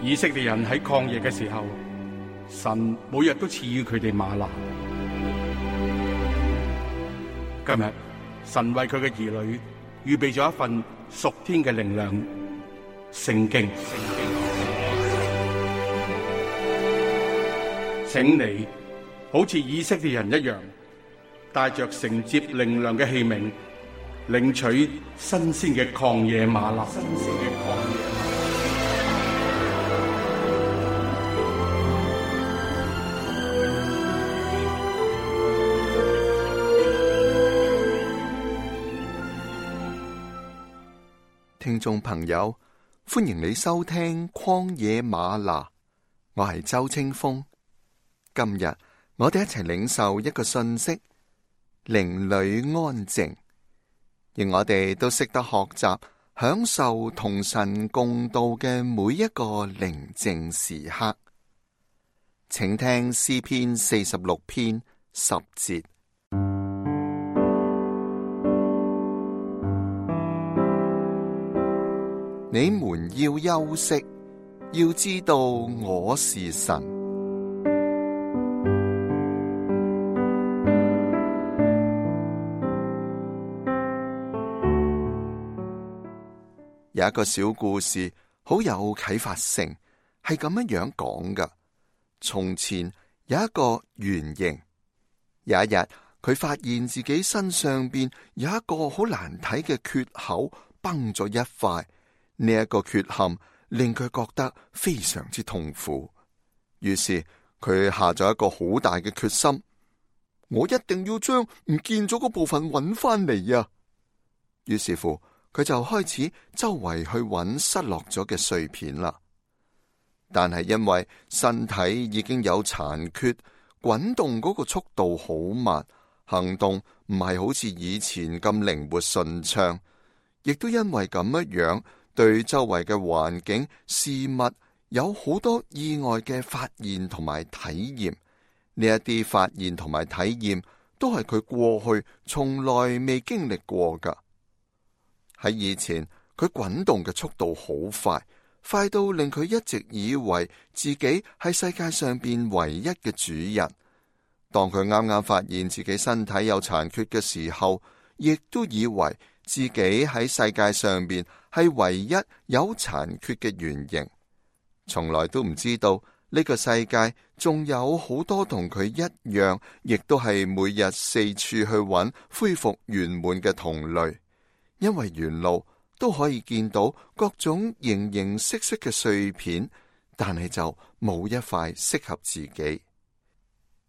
以色列人喺曠野嘅時候，神每日都賜予佢哋嗎哪。今日神為佢嘅兒女預備咗一份屬天嘅靈糧——聖經。請你好似以色列人一樣，帶着承接靈糧嘅器皿，領取新鮮嘅曠野嗎哪。聽眾朋友，歡迎你收聽曠野嗎哪，我係周清風。今日我哋一齊領受一個信息：靈裏安靜，而我哋都識得學習享受同神共度嘅每一個寧靜時刻。請聽詩篇46篇10節。你們要休息，要知道我是神。有一個小故事，好有啟發性，係咁樣講㗎。從前有一個圓形，有一日佢發現自己身上邊有一個好難睇嘅缺口，崩咗一塊。呢一個缺陷令佢覺得非常之痛苦，於是佢下咗一個好大嘅決心，我一定要將唔見咗嗰部分揾翻嚟啊！於是乎，佢就開始周圍去揾失落咗嘅碎片啦。但係因為身體已經有殘缺，滾動嗰個速度好慢，行動唔係好似以前咁靈活順暢，亦都因為咁樣，對周圍嘅環境事物有好多意外嘅發現同埋體驗。呢一啲發現同埋體驗都係佢過去從來未經歷過噶。喺以前，佢滾動嘅速度好快，快到令佢一直以為自己係世界上邊唯一嘅主人。當佢啱啱發現自己身體有殘缺嘅時候，亦都以為自己喺世界上邊係唯一有殘缺嘅原型，從來都唔知道呢個世界仲有好多同佢一樣，亦都係每日四處去揾恢復圓滿嘅同類。因為沿路都可以見到各種形形色色嘅碎片，但係就冇一塊適合自己。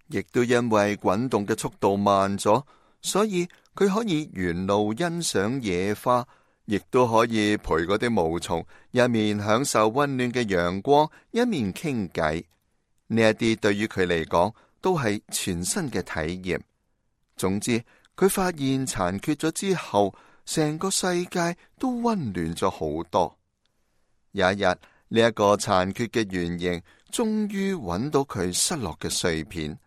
亦都因為滾動嘅速度慢咗，所以佢可以沿路欣賞野花，亦都可以陪嗰啲毛蟲一面享受溫暖嘅陽光，一面傾偈。呢一啲對於佢嚟講都係全新嘅體驗。總之，佢發現殘缺咗之後，成個世界都溫暖咗好多。有一日，呢一個殘缺嘅圓形終於揾到佢失落嘅碎片，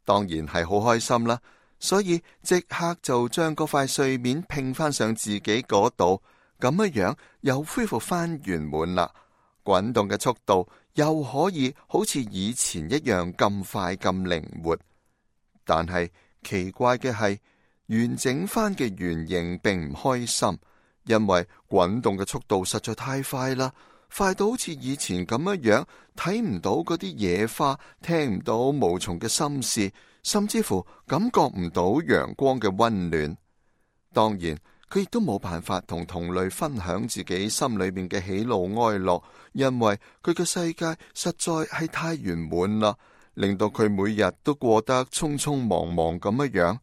當然係好開心啦。所以即刻就將嗰塊碎面拼翻上自己嗰度，咁樣又恢復翻圓滿啦。滾動嘅速度又可以好似以前一樣咁快咁靈活。但係奇怪嘅係，完整翻嘅圓形並唔開心，因為滾動嘅速度實在太快啦，快到好似以前咁樣睇唔到嗰啲野花，聽唔到毛蟲嘅心事，甚至乎感覺唔到陽光嘅溫暖。當然，佢亦都冇辦法同同類分享自己心裏面嘅喜怒哀樂，因為佢嘅世界實在係太圓滿啦，令到佢每日都過得匆匆忙忙咁樣。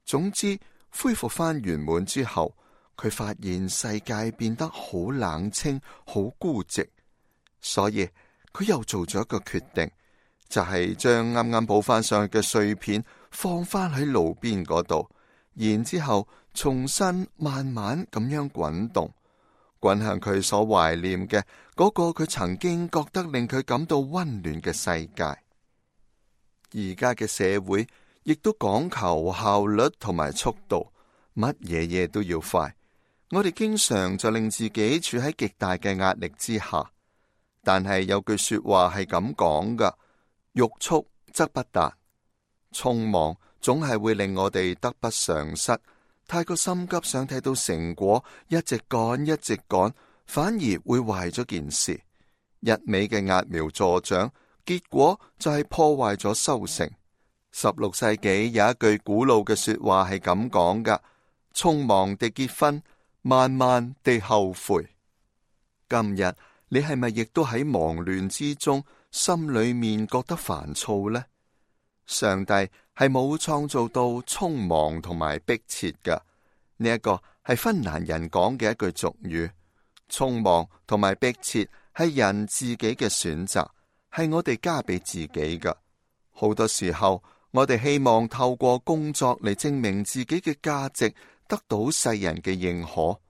總之，恢復翻圓滿之後，佢發現世界變得好冷清、好孤寂，所以佢又做咗一個決定。就係將啱啱補翻上去嘅碎片放翻喺路邊嗰度，然之後重新慢慢咁樣滾動，滾向佢所懷念嘅嗰個佢曾經覺得令佢感到溫暖嘅世界。而家嘅社會亦都講求效率同埋速度，乜嘢都要快。我哋經常就令自己處喺極大嘅壓力之下。但係有句說話係咁講㗎：欲速則不達。匆忙總係會令我哋得不償失。太過心急想睇到成果，一直趕，反而會壞咗件事。一味嘅揠苗助長，結果就係破壞咗收成。16世紀有一句古老嘅說話係咁講㗎：匆忙地結婚，慢慢地後悔。今日你係咪亦都喺忙亂之中，心裏面覺得煩躁呢？上帝係冇創造到匆忙同埋迫切㗎，呢一個係芬蘭人講嘅一句俗語。匆忙同埋迫切係人自己嘅選擇，係我哋加俾自己㗎。好多時候，我哋希望透過工作嚟證明自己嘅價值，得到世人嘅認可。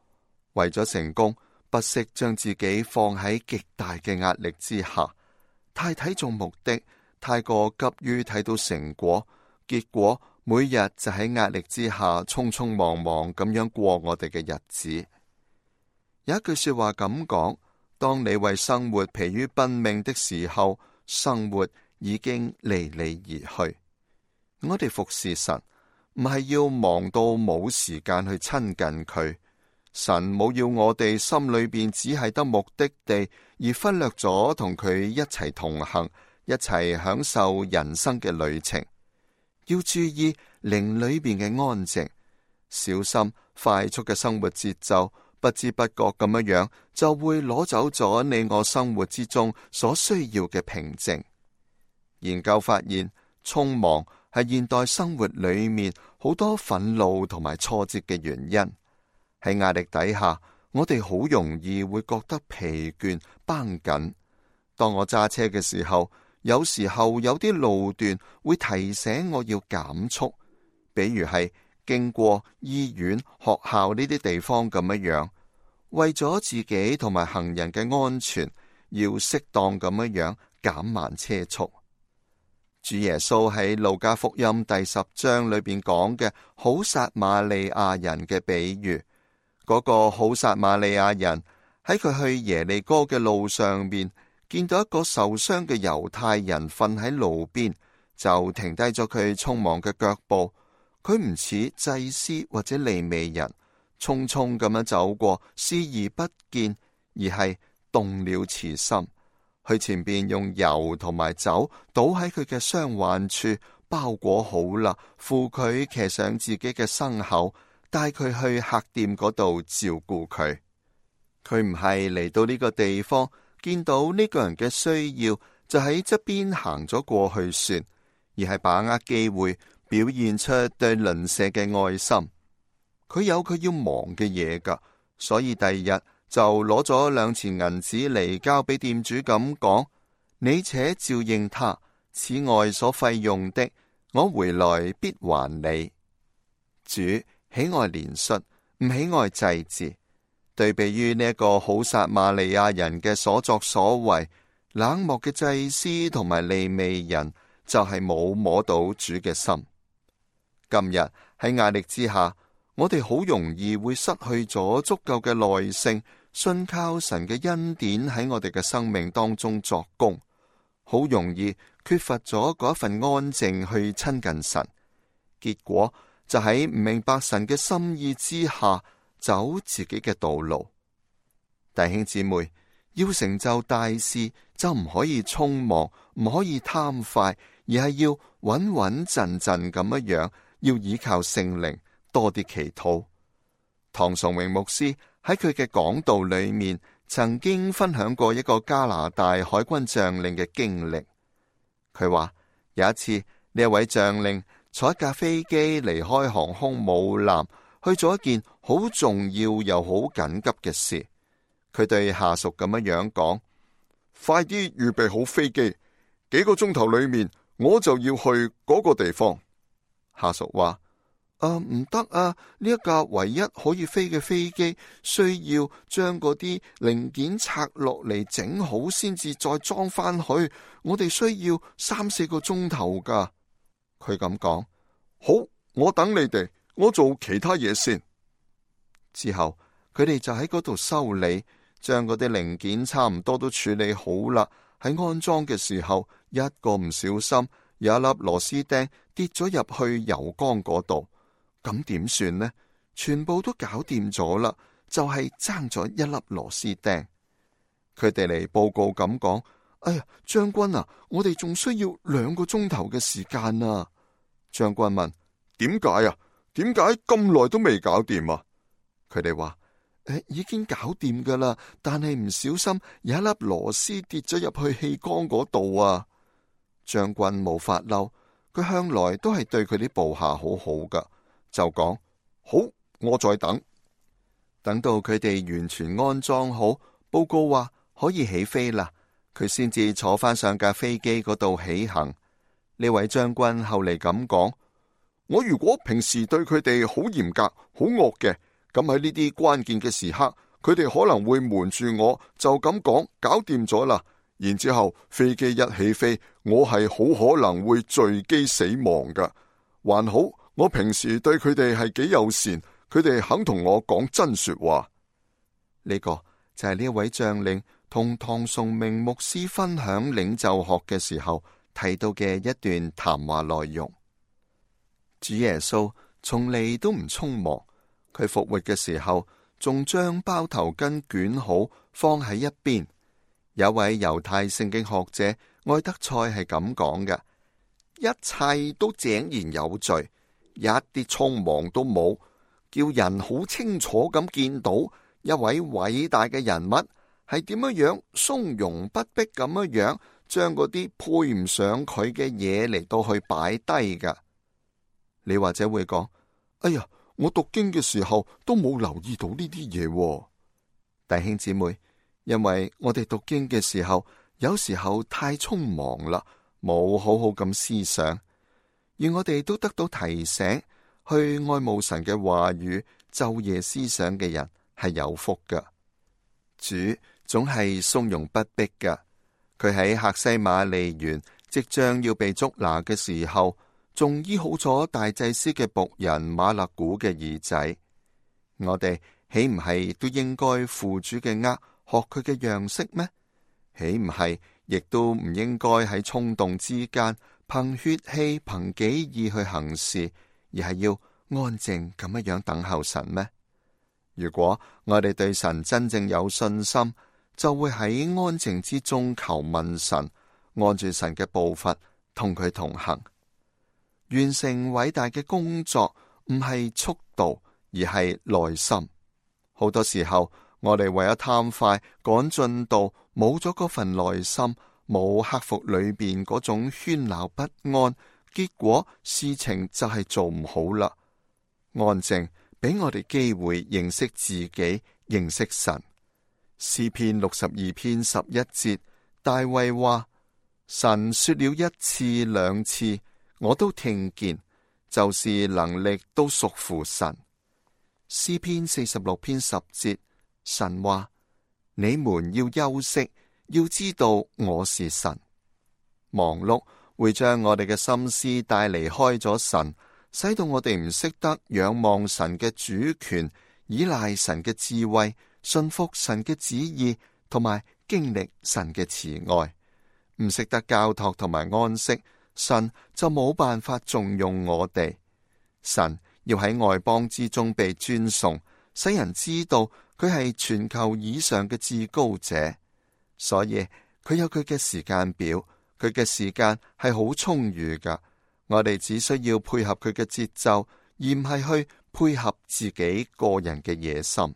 為咗成功，不惜將自己放喺極大嘅壓力之下，太睇重目的，太過急於睇到成果，結果每日就喺壓力之下匆匆忙忙咁樣過我哋嘅日子。有一句說話咁講：當你為生活疲於奔命的時候，生活已經離你而去。我哋服侍神，唔係要忙到冇時間去親近佢。神冇要我哋心裏邊只係得目的地，而忽略咗同佢一齊同行，一齊享受人生嘅旅程。要注意靈裏邊嘅安靜，小心快速嘅生活節奏，不知不覺咁樣就會攞走咗你我生活之中所需要嘅平靜。研究發現，匆忙係現代生活裏面好多憤怒同埋挫折嘅原因。喺壓力底下，我哋好容易會覺得疲倦繃緊。當我揸車嘅時候，有時候有啲路段會提醒我要減速，比如係經過醫院、學校呢啲地方咁樣。為咗自己同埋行人嘅安全，要適當咁樣減慢車速。主耶穌喺路加福音第10章裏邊講嘅好撒瑪利亞人嘅比喻。嗰個好撒瑪利亞人喺佢去耶利哥嘅路上面，見到一個受傷嘅猶太人瞓喺路邊，就停低咗佢匆忙嘅腳步。佢唔似祭司或者利未人，匆匆咁樣走過，視而不見，而係動了慈心，去前邊用油同埋酒倒喺佢嘅傷患處，包裹好啦，扶佢騎上自己嘅牲口，帶佢去客店嗰度照顧佢。佢唔係嚟到呢個地方，見到呢個人嘅需要就喺側邊行咗過去算，而係把握機會表現出對鄰舍嘅愛心。佢有佢要忙嘅嘢㗎，所以第二日就攞咗2錢銀子嚟交俾店主咁講：你且照應他，此外所費用的，我回來必還你。主喜愛憐恤，唔喜愛祭祀。對比於呢一個好撒瑪利亞人嘅所作所為，冷漠嘅祭司同埋利未人就係冇摸到主嘅心。今日喺壓力之下，我哋好容易會失去咗足夠嘅耐性，信靠神嘅恩典喺我哋嘅生命當中作工，好容易缺乏咗嗰一份安靜去親近神，結果就喺唔明白神嘅心意之下走自己嘅道路。弟兄姊妹，要成就大事就唔可以匆忙，唔可以貪快，而係要穩穩陣陣咁樣，要依靠聖靈，多啲祈禱。唐崇榮牧師喺佢嘅講道裏面曾經分享過一個加拿大海軍將領嘅經歷。佢話有一次呢一位將領坐一架飛機離開航空母艦，去做一件好重要又好緊急嘅事。佢對下屬咁樣講：快啲預備好飛機，幾個鐘頭裏面我就要去嗰個地方。下屬話：唔得啊！呢一架唯一可以飛嘅飛機，需要將嗰啲零件拆落嚟整好先至再裝翻去。我哋需要3-4個鐘頭噶。佢咁講：好，我等你哋，我做其他嘢先。之後佢哋就喺嗰度修理，將嗰啲零件差唔多都處理好啦。喺安裝嘅時候，一個唔小心，有一粒螺絲釘跌咗入去油缸嗰度，咁點算呢？全部都搞掂咗啦，就係爭咗一粒螺絲釘。佢哋嚟報告咁講：哎呀，將軍啊，我哋仲需要2個鐘頭嘅時間啊！將軍問：點解啊？點解咁耐都未搞掂啊？佢哋話：已經搞掂噶啦，但係唔小心有一粒螺絲跌咗入去氣缸嗰度啊！將軍冇發嬲，佢向來都係對佢啲部下好好噶，就講：好，我再等。等到佢哋完全安裝好，報告話可以起飛啦，佢先至坐翻上架飛機嗰度起行。呢位將軍後嚟咁講：我如果平時對佢哋好嚴格、好惡嘅，咁喺呢啲關鍵嘅時刻，佢哋可能會瞞住我，就咁講搞掂咗啦。然之後飛機一起飛，我係好可能會墜機死亡噶。還好我平時對佢哋係幾友善，佢哋肯同我講真說話。呢個就係呢位將領同唐崇明牧師分享領袖學嘅時候提到嘅一段談話內容。主耶穌從嚟都唔匆忙，佢復活嘅時候仲將包頭巾捲好放喺一邊。有位猶太聖經學者愛德賽係咁講嘅：一切都井然有序，一啲匆忙都冇，叫人好清楚咁見到一位偉大嘅人物係點樣從容不迫咁樣將嗰啲配唔上佢嘅嘢嚟到去擺低噶。你或者會講：哎呀，我讀經嘅時候都冇留意到呢啲嘢。弟兄姊妹，因為我哋讀經嘅時候，有時候太匆忙啦，冇好好咁思想，而我哋都得到提醒，去愛慕神嘅話語，晝夜思想嘅人係有福噶。主總係從容不迫噶，佢喺客西馬尼園即將要被捉拿嘅時候，仲醫好咗大祭司嘅僕人馬勒古嘅耳仔。我哋豈唔係都應該負主嘅軛，學佢嘅樣式咩？豈唔係亦都唔應該喺衝動之間憑血氣憑己意去行事，而係要安靜咁樣等候神咩？如果我哋對神真正有信心，就會喺安靜之中求問神，按住神嘅步伐同佢同行。完成偉大嘅工作唔係速度，而係耐心。好多時候我哋為咗貪快趕進度，冇咗嗰份耐心，冇克服裏邊嗰種喧鬧不安，結果事情就係做唔好啦。安靜俾我哋機會認識自己，認識神。詩篇62篇11節，大衛話：神說了1次2次，我都聽見，就是能力都屬乎神。詩篇46篇10節，神話：你們要休息，要知道我是神。忙碌會將我哋嘅心思帶離開咗神，使到我哋唔識得仰望神嘅主權，依賴神嘅智慧，信服神嘅旨意，同埋經歷神嘅慈愛。唔識得交託同埋安息，神就冇辦法重用我哋。神要喺外邦之中被尊崇，使人知道佢係全球以上嘅至高者。所以佢有佢嘅時間表，佢嘅時間係好充裕噶。我哋只需要配合佢嘅節奏，而唔係去配合自己個人嘅野心。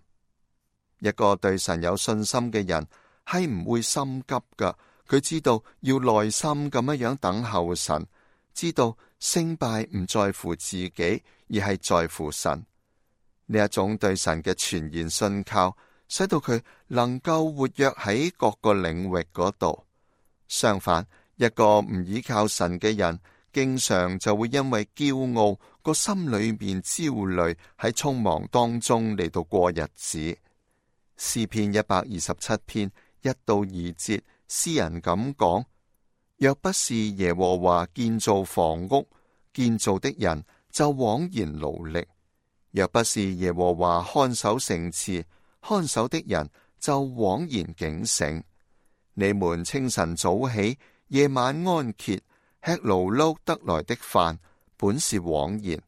一個對神有信心嘅人係唔會心急噶，佢知道要耐心咁樣等候神，知道勝敗唔在乎自己，而係在乎神。呢一種對神嘅全然信靠，使到佢能夠活躍喺各個領域嗰度。相反，一個唔依靠神嘅人，經常就會因為驕傲，個心裏面焦慮，喺匆忙當中嚟到過日子。詩篇127篇1到2節，詩人咁講：若不是耶和華建造房屋，建造的人就枉然勞力；若不是耶和華看守城池，看守的人就枉然警醒。你們清晨早起，夜晚安歇，吃勞碌得來的飯，本是枉然。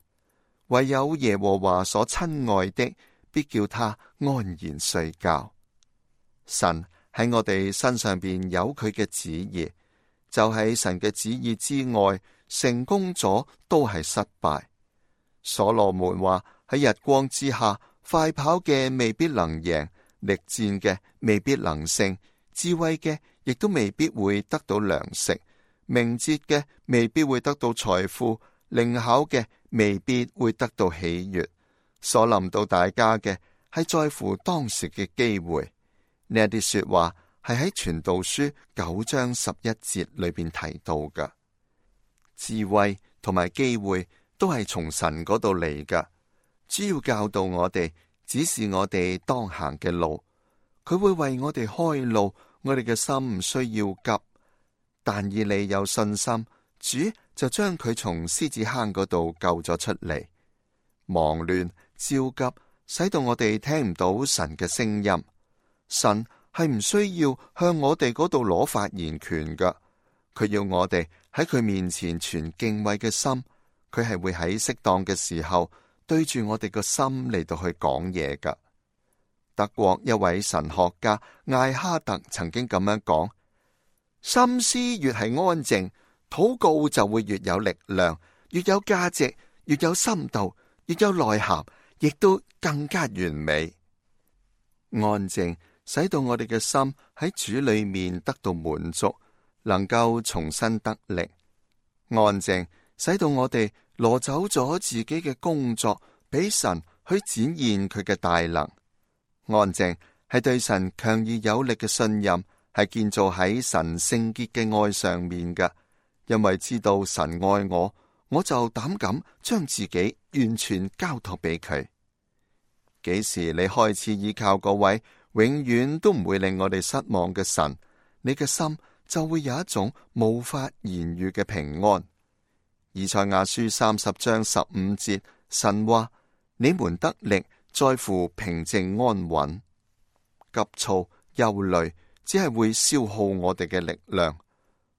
唯有耶和華所親愛的，必叫他安然睡覺。神喺我哋身上邊有佢嘅旨意，就喺神嘅旨意之外，成功咗都係失敗。所羅門話，喺日光之下，快跑嘅未必能贏，力戰嘅未必能勝，智慧嘅亦都未必會得到糧食，明哲嘅未必會得到財富，靈巧嘅未必會得到喜悅。所臨到大家嘅係在乎當時嘅機會。呢一啲說話係喺傳道書9章11節裏邊提到嘅。智慧同埋機會都係從神嗰度嚟噶，主要教導我哋，指示我哋當行嘅路。佢會為我哋開路，我哋嘅心唔需要急。但以理有信心，主就將佢從獅子坑嗰度救咗出嚟。忙亂焦急，使到我哋聽唔到神嘅聲音。神係唔需要向我哋嗰度攞發言權噶，佢要我哋喺佢面前存敬畏嘅心。佢係會喺適當嘅時候對住我哋個心嚟到去講嘢噶。德國一位神學家艾哈特曾經咁樣講：心思越係安靜，禱告就會越有力量，越有價值，越有深度，越有內涵，亦都更加完美。安靜使到我哋嘅心喺主裏面得到滿足，能夠重新得力。安靜使到我哋攞走咗自己嘅工作，俾神去展現佢嘅大能。安靜係對神強而有力嘅信任，係建造喺神聖潔嘅愛上面嘅。因為知道神愛我，我就膽敢將自己完全交託俾佢。幾時你開始依靠嗰位永遠都唔會令我哋失望嘅神，你嘅心就會有一種無法言喻嘅平安。以賽亞書30章15節，神話：你們得力在乎平靜安穩。急躁憂慮只係會消耗我哋嘅力量，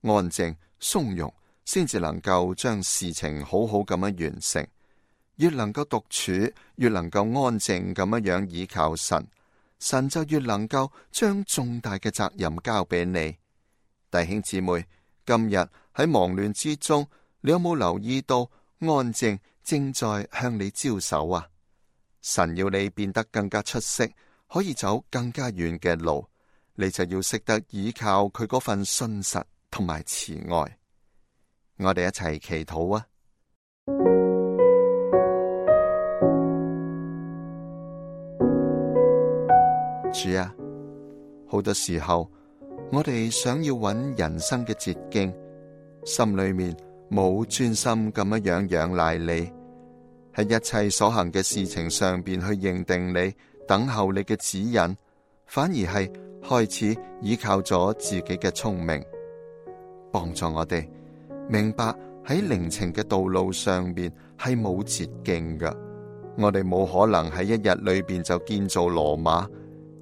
安靜鬆容先至能夠將事情好好咁樣完成。越能夠獨處，越能夠安靜咁樣倚靠神，神就越能夠將重大嘅責任交俾你。弟兄姊妹，今日喺忙亂之中，你有冇留意到安靜正在向你招手啊？神要你變得更加出色，可以走更加遠嘅路，你就要識得倚靠佢嗰份信實同埋慈愛。我哋一齊祈禱啊！主啊，好多時候我哋想要揾人生嘅捷徑，心裏面冇專心咁樣仰賴你，喺一切所行嘅事情上邊去認定你，等候你嘅指引，反而係開始依靠咗自己嘅聰明。幫助我哋明白喺靈情嘅道路上邊係冇捷徑㗎，我哋冇可能喺一日裏邊就建造羅馬，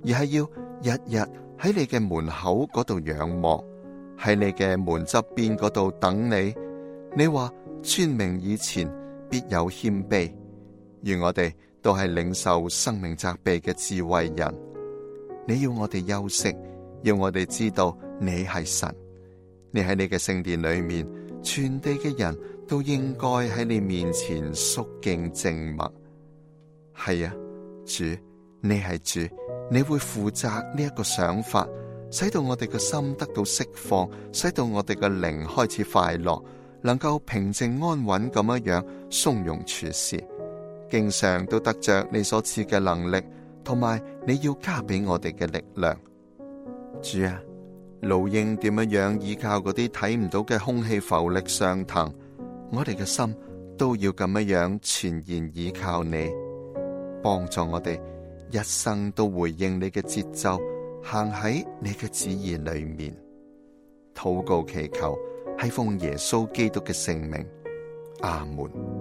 而係要日日喺你嘅門口嗰度仰望，喺你嘅門側邊嗰度等你。你話尊名以前必有謙卑，願我哋都係領受生命責備嘅智慧人。你要我哋休息，要我哋知道你係神，你喺你嘅聖殿裏面，全地嘅人都應該喺你面前肅敬靜默。係啊，主，你係主，你會負責呢一個想法，使到我哋嘅心得到釋放，使到我哋嘅靈開始快樂，能夠平靜安穩咁樣從容處事，經常都得着你所賜嘅能力，同埋你要加俾我哋嘅力量。主啊，老鷹點樣依靠嗰啲睇唔到嘅空氣浮力上騰，我哋嘅心都要咁樣全然依靠你，幫助我哋一生都回應你嘅節奏，行喺你嘅旨意裏面。禱告祈求係奉耶穌基督嘅聖名，阿門。